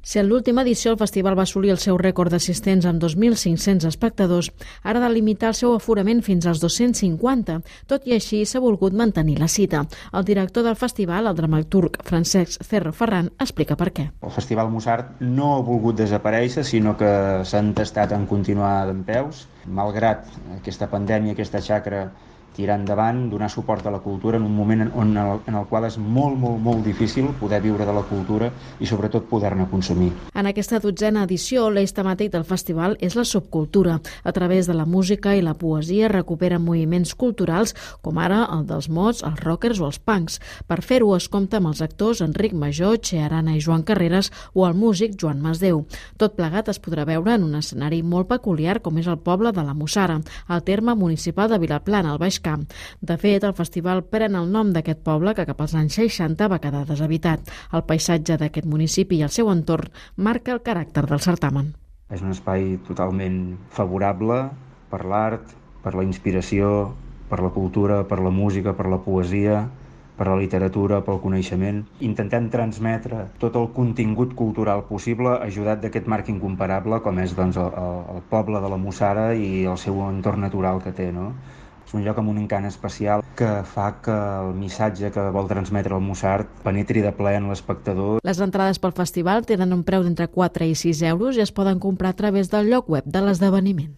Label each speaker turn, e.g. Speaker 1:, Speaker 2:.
Speaker 1: Si en l'última edició el festival va assolir el seu rècord d'assistents amb 2.500 espectadors, ara ha de limitar el seu aforament fins als 250. Tot i així, s'ha volgut mantenir la cita. El director del festival, el dramaturg Francesc Cerro Ferran, explica per què.
Speaker 2: El Festival Mussart no ha volgut desaparèixer, sinó que s'ha entestat en continuar dempeus, malgrat aquesta pandèmia, aquesta xacra tirar endavant, donar suport a la cultura en un moment en el qual és molt difícil poder viure de la cultura i sobretot poder-ne consumir.
Speaker 1: En aquesta 12a edició, l'eix temàtic del festival és la subcultura. A través de la música i la poesia recuperen moviments culturals com ara el dels mods, els rockers o els punks. Per fer-ho es compta amb els actors Enric Major, Che Arana i Joan Carreras o el músic Joan Masdeu. Tot plegat es podrà veure en un escenari molt peculiar com és el poble de la Mussara, al terme municipal de Vilaplana, al Baix Camp. De fet, el festival pren el nom d'aquest poble que cap als anys 60 va quedar deshabitat. El paisatge d'aquest municipi i el seu entorn marca el caràcter del certamen.
Speaker 2: És un espai totalment favorable per l'art, per la inspiració, per la cultura, per la música, per la poesia, per la literatura, pel coneixement. Intentem transmetre tot el contingut cultural possible ajudat d'aquest marc incomparable com és el poble de la Mussara i el seu entorn natural que té, no? És un lloc amb un encant especial que fa que el missatge que vol transmetre el Mussart penetri de ple en l'espectador.
Speaker 1: Les entrades pel festival tenen un preu d'entre 4 i 6 euros i es poden comprar a través del lloc web de l'esdeveniment.